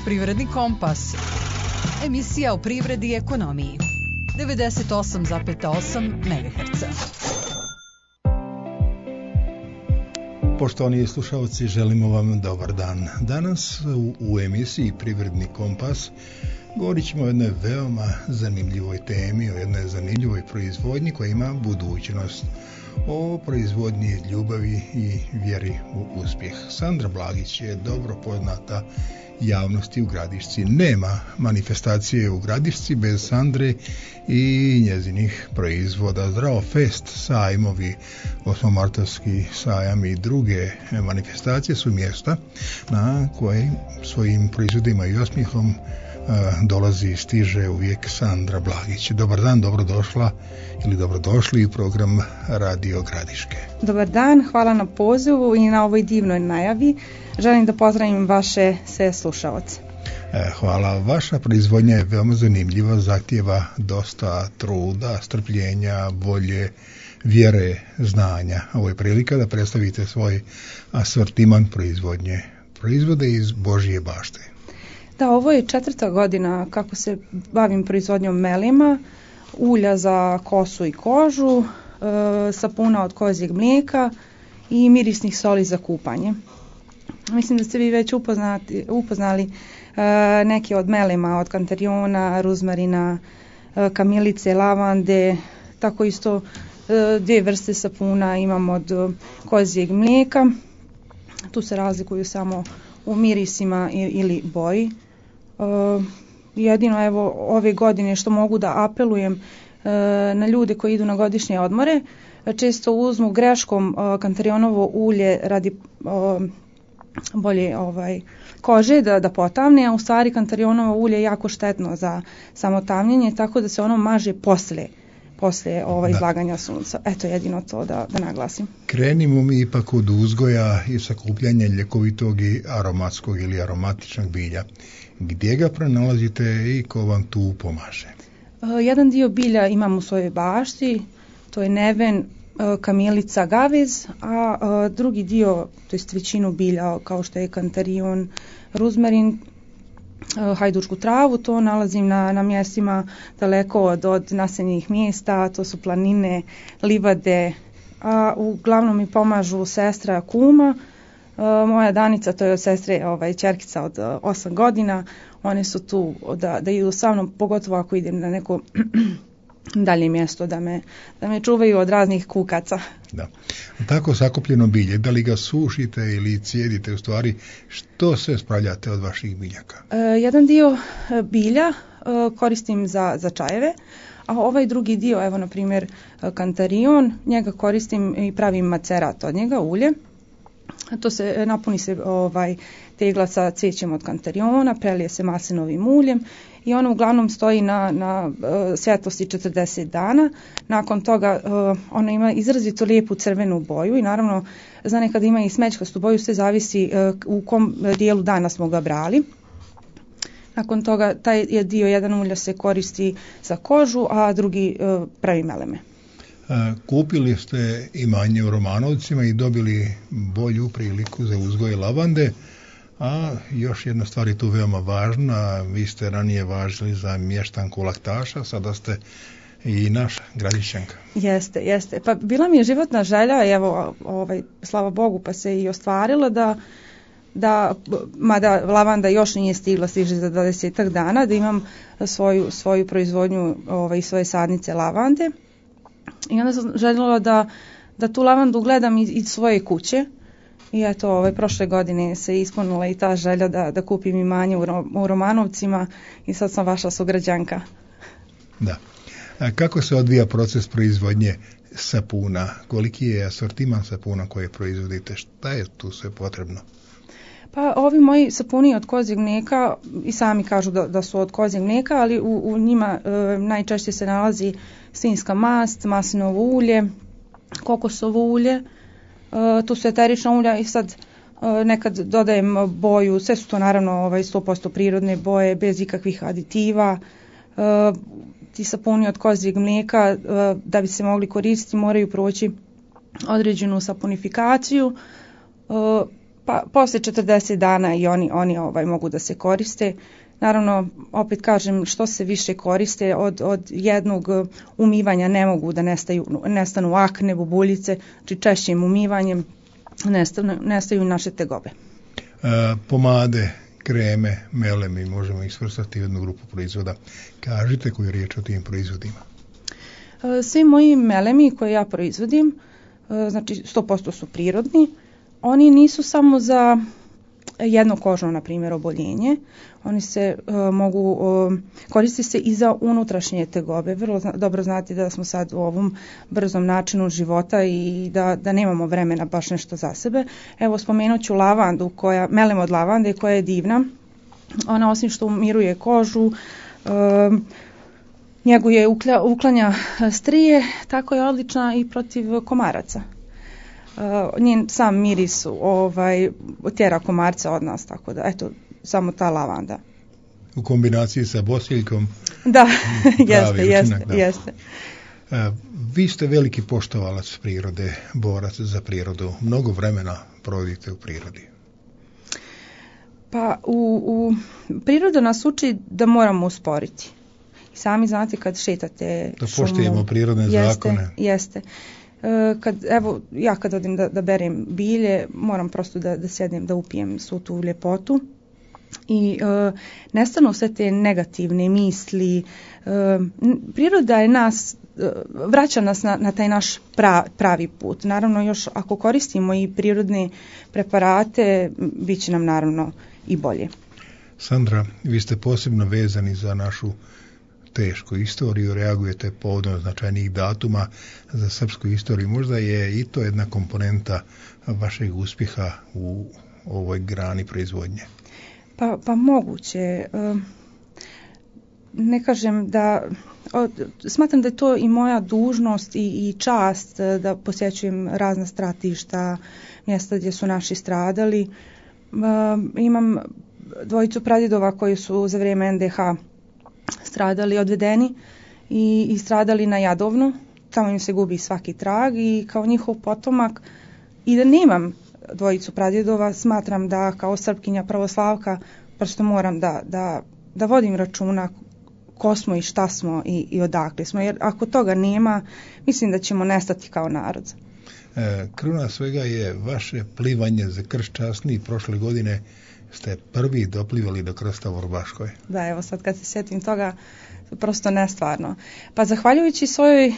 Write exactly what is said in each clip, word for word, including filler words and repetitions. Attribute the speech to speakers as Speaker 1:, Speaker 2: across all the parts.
Speaker 1: Privredni kompas. Emisija o privredi i ekonomiji. devedeset osam zarez osam megaherca.
Speaker 2: Poštovani slušalci, želimo vam dobar dan. Danas u, u emisiji Privredni kompas govorit ćemo o jednoj veoma zanimljivoj temi, o jednoj zanimljivoj proizvodnji koja ima budućnost, o proizvodnji ljubavi i vjeri u uspjeh. Sandra Blagić je dobro poznata javnosti u Gradišci. Nema manifestacije u Gradišci bez Sandre i njezinih proizvoda. Zdravo fest, sajmovi, osmomartovski sajam i druge manifestacije su mjesta na koje svojim proizvodima i osmijehom dolazi i stiže uvijek Sandra Blagić. Dobar dan, dobrodošla ili dobrodošli u program Radio Gradiške.
Speaker 3: Dobar dan, hvala na pozivu i na ovoj divnoj najavi. Želim da pozdravim vaše sve slušaoce.
Speaker 2: Hvala. Vaša proizvodnja je veoma zanimljiva, zahtijeva dosta truda, strpljenja, volje, vjere, znanja. Ovo je prilika da predstavite svoj asortiman proizvodnje. Proizvode iz Božje bašte.
Speaker 3: Da, ovo je četvrta godina kako se bavim proizvodnjom melima, ulja za kosu i kožu, e, sapuna od kozjeg mlijeka i mirisnih soli za kupanje. Mislim da ste vi već upoznati, upoznali e, neke od melima, od kantarijona, ruzmarina, e, kamilice, lavande, tako isto e, dvije vrste sapuna imam od kozjeg mlijeka. Tu se razlikuju samo u mirisima ili boji. Uh, jedino evo ove godine što mogu da apelujem uh, na ljude koji idu na godišnje odmore, često uzmu greškom uh, kantarionovo ulje radi uh, bolje ovaj, kože da, da potavne, a u stvari kantarionovo ulje je jako štetno za samotavljenje, tako da se ono maže poslije poslije ovaj, izlaganja sunca. Eto jedino to da, da naglasim.
Speaker 2: Krenimo mi ipak od uzgoja i sakupljanja ljekovitog i aromatskog ili aromatičnog bilja. Gdje ga pronalazite i ko vam tu pomaže?
Speaker 3: Uh, jedan dio bilja imam u svojoj bašti, to je neven, uh, kamilica, gavez, a uh, drugi dio, to jest većinu bilja kao što je kantarion, ruzmarin, hajdučku travu, to nalazim na, na mjestima daleko od, od naseljenih mjesta, to su planine, livade, a uglavnom mi pomažu sestra, kuma, a, moja Danica, to je od sestre ovaj, ćerkica od osam godina, one su tu da, da idu sa mnom, pogotovo ako idem na neko dalje mjesto da me, da me čuvaju od raznih kukaca.
Speaker 2: Da. Tako sakupljeno bilje, da li ga sušite ili cijedite, u stvari što se spravljate od vaših biljaka?
Speaker 3: E, jedan dio bilja e, koristim za, za čajeve, a ovaj drugi dio, evo na primjer kantarion, njega koristim i pravim macerat od njega, ulje. To se napuni se ovaj tegla sa cvećem od kantariona, prelije se maslinovim uljem i ono uglavnom stoji na, na uh, svjetlosti četrdeset dana. Nakon toga uh, ono ima izrazito lijepu crvenu boju i naravno za nekad ima i smeđkastu boju, sve zavisi uh, u kom dijelu dana smo ga brali. Nakon toga taj je dio jedan ulja se koristi za kožu, a drugi uh, pravi meleme.
Speaker 2: Kupili ste imanje u Romanovcima i dobili bolju priliku za uzgoj lavande, a još jedna stvar je tu veoma važna, vi ste ranije važili za mještanku Laktaša, sada ste i naša Gradišćanka.
Speaker 3: Jeste, jeste. Pa bila mi je životna želja, evo, ovaj, slava Bogu, pa se i ostvarilo da, da mada lavanda još nije stigla, stiže za dvadesetak dana, da imam svoju, svoju proizvodnju ovaj, svoje sadnice lavande. I onda sam željela da, da tu lavandu gledam iz, iz svoje kuće. I eto, ovaj, prošle godine se ispunila i ta želja da, da kupim imanje u, u Romanovcima i sad sam vaša sugrađanka.
Speaker 2: Da. A kako se odvija proces proizvodnje sapuna? Koliki je asortiman sapuna koje proizvodite? Šta je tu sve potrebno?
Speaker 3: Pa ovi moji sapuni od kozjeg mlijeka i sami kažu da, da su od kozjeg mlijeka, ali u, u njima e, najčešće se nalazi svinjska mast, maslinovo ulje, kokosovo ulje, e, tu su eterična ulja i sad e, nekad dodajem boju, sve su to naravno ovaj, sto posto prirodne boje, bez ikakvih aditiva. E, ti sapuni od kozjeg mlijeka e, da bi se mogli koristiti moraju proći određenu sapunifikaciju. E, Pa posle četrdeset dana i oni, oni ovaj, mogu da se koriste. Naravno, opet kažem, što se više koriste, od, od jednog umivanja ne mogu da nestaju, nestanu akne, bubuljice, znači češćim umivanjem nestanu, nestaju naše tegobe.
Speaker 2: E, pomade, kreme, melemi, možemo ih svrstati u jednu grupu proizvoda. Kažite koju je riječ o tim proizvodima.
Speaker 3: E, svi moji melemi koje ja proizvodim, e, znači sto posto su prirodni, oni nisu samo za jedno kožno, na primjer, oboljenje. Oni se uh, mogu uh, koristiti se i za unutrašnje tegobe. Vrlo zna, dobro znate da smo sad u ovom brzom načinu života i da, da nemamo vremena baš nešto za sebe. Evo, spomenut ću lavandu, koja, melem od lavande, koja je divna. Ona osim što umiruje kožu, uh, njeguje, uklja, uklanja strije, tako je odlična i protiv komaraca. Uh, njen sam miris ovaj, tjera komarca od nas, tako da, eto, samo ta lavanda.
Speaker 2: U kombinaciji sa bosiljkom.
Speaker 3: Da, jeste, jeste,
Speaker 2: da.
Speaker 3: jeste.
Speaker 2: Uh, vi ste veliki poštovalac prirode, borac za prirodu. Mnogo vremena provodite u prirodi.
Speaker 3: Pa, u, u priroda nas uči da moramo usporiti. I sami znate kad šetate
Speaker 2: da
Speaker 3: šumu. Da
Speaker 2: poštujemo prirodne
Speaker 3: jeste,
Speaker 2: zakone.
Speaker 3: Jeste. Kad, evo, ja kad odim da, da berem bilje, moram prosto da, da sjednem, da upijem svu tu ljepotu i e, nestanu sve te negativne misli. E, priroda je nas, e, vraća nas na, na taj naš pra, pravi put. Naravno, još ako koristimo i prirodne preparate, bit će nam naravno i bolje.
Speaker 2: Sandra, vi ste posebno vezani za našu tešku istoriju, reagujete povodom značajnih datuma za srpsku istoriju. Možda je i to jedna komponenta vašeg uspjeha u ovoj grani proizvodnje.
Speaker 3: Pa, pa moguće. Ne kažem da... Smatram da je to i moja dužnost i, i čast da posjećujem razna stratišta, mjesta gdje su naši stradali. Imam dvojicu pradjedova koji su za vrijeme en de ha stradali, odvedeni i, i stradali na Jadovnu. Tamo im se gubi svaki trag i kao njihov potomak, i da nemam dvojicu pradjedova, smatram da kao Srpkinja pravoslavka prosto moram da, da, da vodim računa ko smo i šta smo i, i odakle smo, jer ako toga nema, mislim da ćemo nestati kao narod.
Speaker 2: E, kruna svega je vaše plivanje za krst časni. Prošle godine ste prvi doplivali do krsta u Vrbaškoj.
Speaker 3: Da, evo sad kad se sjetim toga, prosto nestvarno. Pa zahvaljujući svojoj e,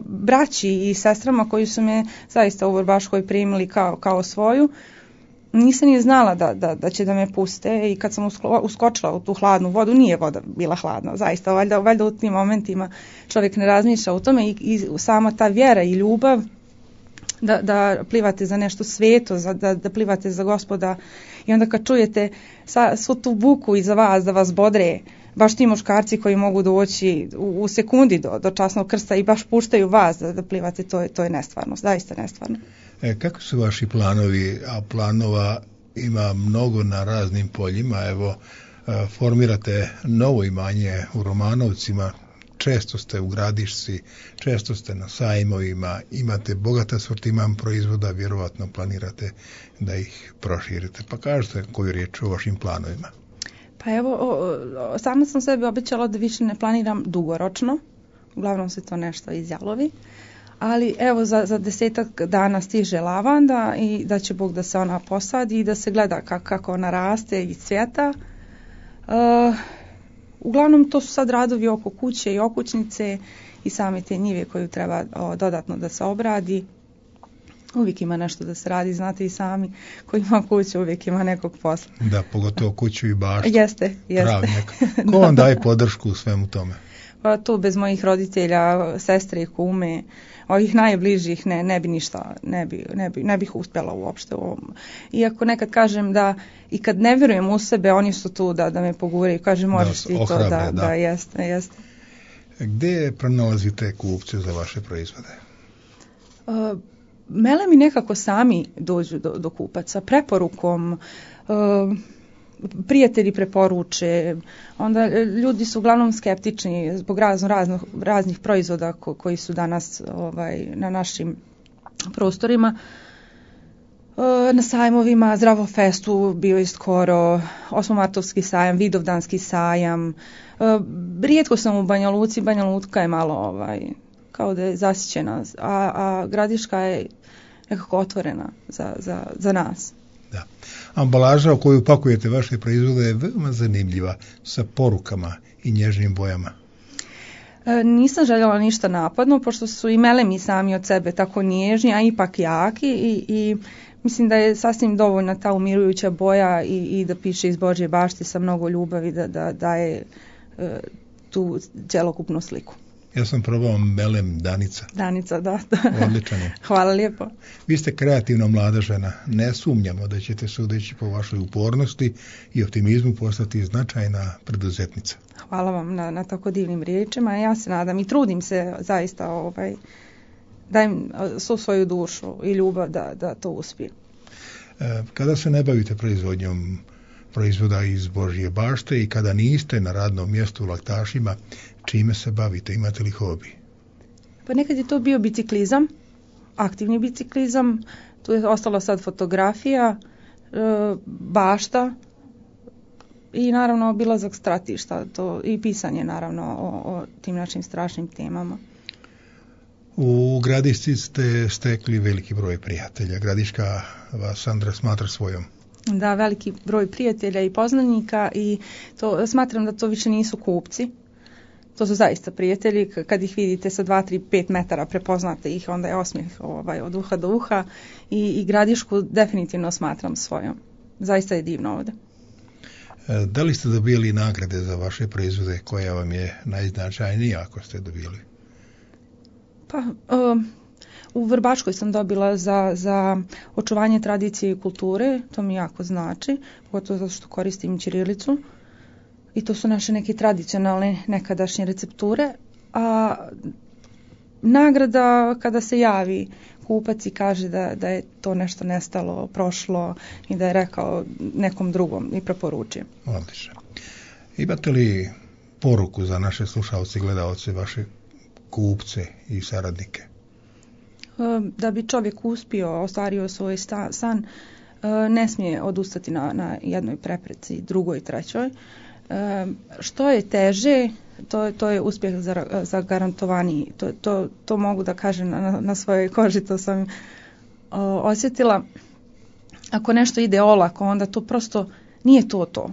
Speaker 3: braći i sestrama koji su me zaista u Vrbaškoj primili kao, kao svoju, nisam ni znala da, da, da će da me puste, i kad sam usklo, uskočila u tu hladnu vodu, nije voda bila hladna, zaista, valjda, valjda u tim momentima čovjek ne razmišlja o tome, i, i sama ta vjera i ljubav da, da plivate za nešto sveto, za, da, da plivate za Gospoda, i onda kad čujete sa, svu tu buku iza vas da vas bodre, baš ti muškarci koji mogu doći u, u sekundi do, do časnog krsta i baš puštaju vas da, da plivate, to je, to je nestvarno, zaista nestvarno.
Speaker 2: E, kako su vaši planovi, a planova ima mnogo na raznim poljima, evo, e, formirate novo imanje u Romanovcima, često ste u Gradišci, često ste na sajmovima, imate bogat asortiman proizvoda, vjerovatno planirate da ih proširite. Pa kažete koju riječ o vašim planovima.
Speaker 3: Pa evo, o, o, sama sam sebi obećala da više ne planiram dugoročno, uglavnom se to nešto izjalovi, ali evo za, za desetak dana stiže lavanda i da će Bog da se ona posadi i da se gleda kako, kako ona raste i cvjeta. Uh, uglavnom to su sad radovi oko kuće i okućnice i same te njive koju treba o, dodatno da se obradi. Uvijek ima nešto da se radi, znate i sami, ko ima kuću uvijek ima nekog posla.
Speaker 2: Da, pogotovo kuću i baštu.
Speaker 3: Jeste, jeste.
Speaker 2: Travnjak. Ko vam daje podršku u svemu tome?
Speaker 3: Pa tu bez mojih roditelja, sestre i kume, ovih najbližih ne, ne bi ništa, ne, bi, ne, bi, ne bih uspjela uopšte u ovom. Iako nekad kažem da i kad ne vjerujem u sebe, oni su tu da, da me poguraju, kaže možeš ti to, da, da, da jeste, jeste.
Speaker 2: Gdje pronalazite kupce za vaše proizvode?
Speaker 3: Uh, Mele mi nekako sami dođu do, do kupaca, preporukom, uh, prijatelji preporuče, onda ljudi su uglavnom skeptični zbog razno, razno, raznih proizvoda ko, koji su danas ovaj, na našim prostorima. na sajmovima, Zdravo festu bio je skoro, osmomartovski sajam, Vidovdanski sajam. Rijetko sam u Banja Luci, Banja Luka je malo ovaj, kao da je zasićena, a, a Gradiška je nekako otvorena za, za, za nas.
Speaker 2: Da. Ambalaža u koju pakujete vaše proizvode je veoma zanimljiva, sa porukama i nježnim bojama.
Speaker 3: E, nisam željela ništa napadno, pošto su i melemi sami od sebe tako nježni, a ipak jaki i, i mislim da je sasvim dovoljna ta umirujuća boja i, i da piše iz Božje bašte sa mnogo ljubavi da, da daje e, tu cjelokupnu sliku.
Speaker 2: Ja sam probao melem Danica.
Speaker 3: Danica, da.
Speaker 2: Odličan je.
Speaker 3: Hvala lijepo.
Speaker 2: Vi ste kreativna mlada žena. Ne sumnjamo da ćete, sudeći po vašoj upornosti i optimizmu, postati značajna preduzetnica.
Speaker 3: Hvala vam na, na tako divnim riječima. Ja se nadam i trudim se zaista, ovaj, dajem svu svoju dušu i ljubav da, da to uspije.
Speaker 2: E, kada se ne bavite proizvodnjom proizvoda iz Božje bašte i kada niste na radnom mjestu u Laktašima, čime se bavite? Imate li hobi?
Speaker 3: Pa nekad je to bio biciklizam, aktivni biciklizam, tu je ostala sad fotografija, e, bašta i naravno obilazak stratišta to, i pisanje naravno o, o tim našim strašnim temama.
Speaker 2: U Gradišci ste stekli veliki broj prijatelja. Gradiška vas Sandra smatra svojom.
Speaker 3: Da, veliki broj prijatelja i poznanika i to, smatram da to više nisu kupci. To su zaista prijatelji, kad ih vidite sa dva, tri, pet metara prepoznate ih, onda je osmijeh ovaj, od uha do uha i, i Gradišku definitivno smatram svojom. Zaista je divno ovdje.
Speaker 2: Da li ste dobili nagrade za vaše proizvode, koja vam je najznačajnija ako ste dobili?
Speaker 3: Pa, um, u Vrbačkoj sam dobila za, za očuvanje tradicije i kulture, to mi jako znači, pogotovo zato što koristim ćirilicu. I to su naše neke tradicionalne nekadašnje recepture, a nagrada kada se javi kupac i kaže da, da je to nešto nestalo, prošlo i da je rekao nekom drugom i preporučio.
Speaker 2: Odlično. Imate li poruku za naše slušalce i gledalce, vaše kupce i saradnike?
Speaker 3: Da bi čovjek uspio, ostvario svoj sta, san, ne smije odustati na, na jednoj prepreci, drugoj, trećoj. Što je teže, to, to je uspjeh zagarantovaniji. To, to, to mogu da kažem na, na svojoj koži, to sam o, osjetila. Ako nešto ide olako, onda to prosto nije to to.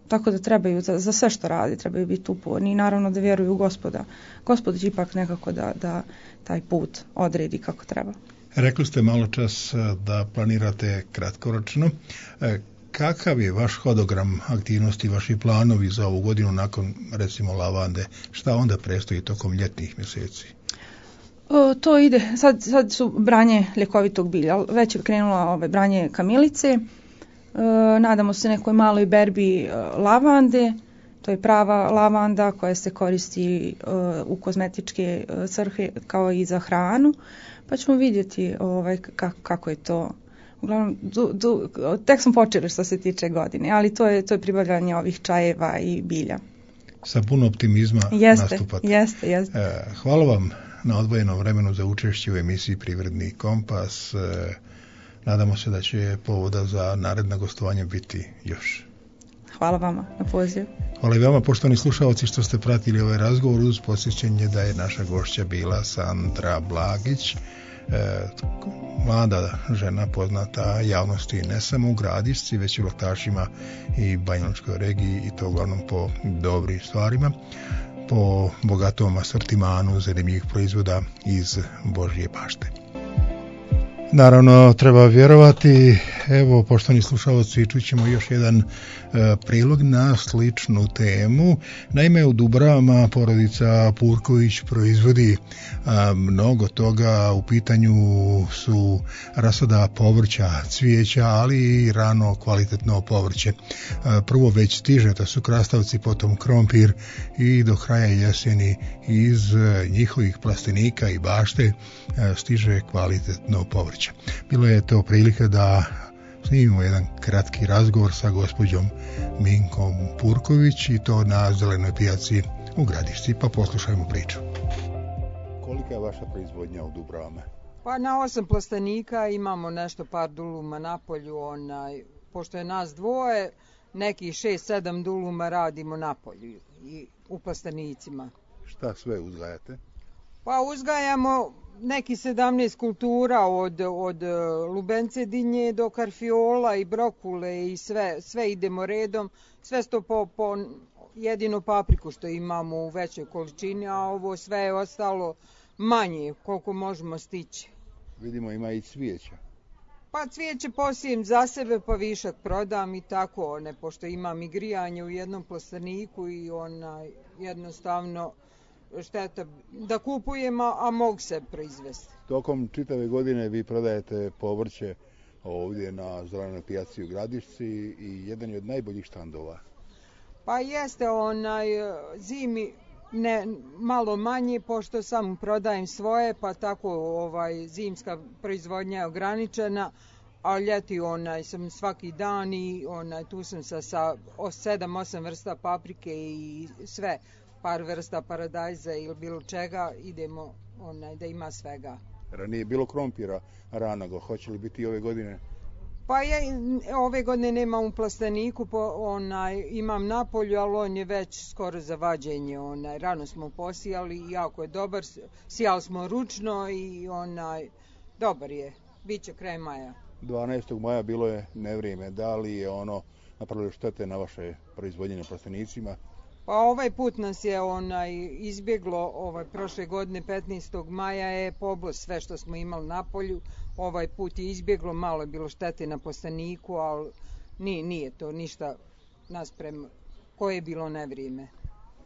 Speaker 3: Tako da trebaju, za, za sve što radi, trebaju biti uporni i naravno da vjeruju u Gospoda. Gospod će ipak nekako da, da taj put odredi kako treba.
Speaker 2: Rekli ste malo čas da planirate kratkoročno. Kakav je vaš hodogram aktivnosti, vaši planovi za ovu godinu nakon, recimo, lavande? Šta onda predstoji tokom ljetnih mjeseci?
Speaker 3: O, to ide, sad, sad su branje ljekovitog bilja, već je krenula ove branje kamilice, e, nadamo se nekoj maloj berbi e, lavande, to je prava lavanda koja se koristi e, u kozmetičke e, svrhe kao i za hranu, pa ćemo vidjeti ovaj, kako, kako je to. Uglavnom, du, du, tek smo počeli što se tiče godine, ali to je, to je pribavljanje ovih čajeva i bilja.
Speaker 2: Sa puno optimizma
Speaker 3: jeste,
Speaker 2: nastupate.
Speaker 3: Jeste, jeste.
Speaker 2: E, hvala vam na odvojenom vremenu za učešće u emisiji Privredni kompas. E, nadamo se da će povoda za naredna gostovanja biti još.
Speaker 3: Hvala vama na pozivu.
Speaker 2: Hvala i vama, poštovani slušalci, što ste pratili ovaj razgovor, uz podsjećanje da je naša gošća bila Sandra Blagić, E, mlada žena poznata javnosti ne samo u Gradišci, već i u Laktašima i Banjalučkoj regiji, i to uglavnom po dobrim stvarima, po bogatom asortimanu zanimljivih proizvoda iz Božje bašte. Naravno, treba vjerovati. Evo, poštovani slušalci, čućemo još jedan e, prilog na sličnu temu. Naime, u Dubravama porodica Purković proizvodi a, mnogo toga. U pitanju su rasada povrća, cvijeća, ali i rano kvalitetno povrće. A, prvo već stiže, to su krastavci, potom krompir, i do kraja jeseni iz a, njihovih plastenika i bašte a, stiže kvalitetno povrće. Bilo je to prilika da snimimo jedan kratki razgovor sa gospođom Minkom Purković, i to na Zelenoj pijaci u Gradišci, pa poslušajmo priču. Kolika je vaša proizvodnja u Dubravama?
Speaker 4: Pa na osam plastenika imamo nešto par duluma na polju, onaj, pošto je nas dvoje, neki šest sedam duluma radimo na polju i u plastenicima.
Speaker 2: Šta sve uzgajate?
Speaker 4: Pa uzgajamo neki sedamnaest kultura od, od lubence dinje do karfiola i brokule i sve, sve idemo redom, sve sto po, po jedinu papriku što imamo u većoj količini, a ovo sve je ostalo manje koliko možemo stići.
Speaker 2: Vidimo ima i cvijeća.
Speaker 4: Pa cvijeće posijem za sebe pa višak prodam i tako, ne, pošto imam i grijanje u jednom plasteniku i ona jednostavno šteta da kupujem, a mogu se proizvesti.
Speaker 2: Tokom čitave godine vi prodajete povrće ovdje na Zelenoj pijaci u Gradišci i jedan je od najboljih štandova.
Speaker 4: Pa jeste, onaj zimi ne, malo manje, pošto sam prodajem svoje, pa tako ovaj, zimska proizvodnja je ograničena, a ljeti onaj, sam svaki dan i onaj, tu sam sa, sa sedam osam vrsta paprike i sve, par vrsta paradajza ili bilo čega, idemo onaj, da ima svega.
Speaker 2: Ranije bilo krompira ranog, hoće li biti i ove godine?
Speaker 4: Pa ja ove godine nemam u plasteniku, po, onaj, imam na polju, ali on je već skoro za vađenje. Onaj, rano smo posijali i jako je dobar, sijali smo ručno i onaj, dobar je, bit će kraj maja.
Speaker 2: dvanaestog maja bilo je nevrijeme, da li je ono napravilo štete na vaše proizvodnje na plastenicima?
Speaker 4: Pa ovaj put nas je onaj izbjeglo, ovaj prošle godine petnaestog maja je poblo sve što smo imali na polju. Ovaj put je izbjeglo, malo je bilo štete na plasteniku, ali nije, nije to ništa nasprem koje je bilo nevrijeme.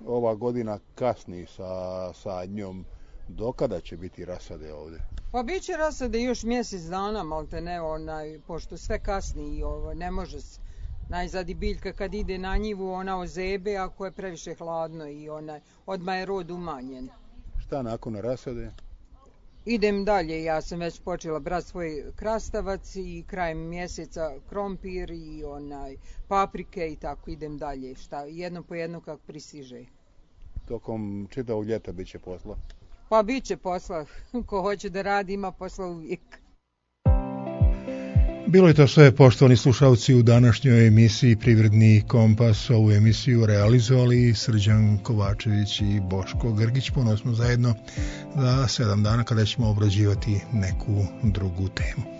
Speaker 2: Ova godina kasni sa sadnjom, dokada će biti rasade ovdje?
Speaker 4: Pa bit će rasade još mjesec dana, malte ne, onaj, pošto sve kasni i ovo, ne može se. Najzad i biljka kad ide na njivu, ona ozebe ako je previše hladno i onaj, odmah je rod umanjen.
Speaker 2: Šta nakon rasade?
Speaker 4: Idem dalje, ja sam već počela brati svoj krastavac i krajem mjeseca krompir i onaj, paprike i tako idem dalje, šta, jedno po jedno kako pristiže.
Speaker 2: Tokom čitavog ljeta bit će posla?
Speaker 4: Pa bit će posla, ko hoće da radi ima posla uvijek.
Speaker 2: Bilo je to sve, poštovani slušalci, u današnjoj emisiji Privredni kompas. Ovu emisiju realizovali Srđan Kovačević i Boško Grgić. Ponovno smo zajedno za sedam dana kada ćemo obrađivati neku drugu temu.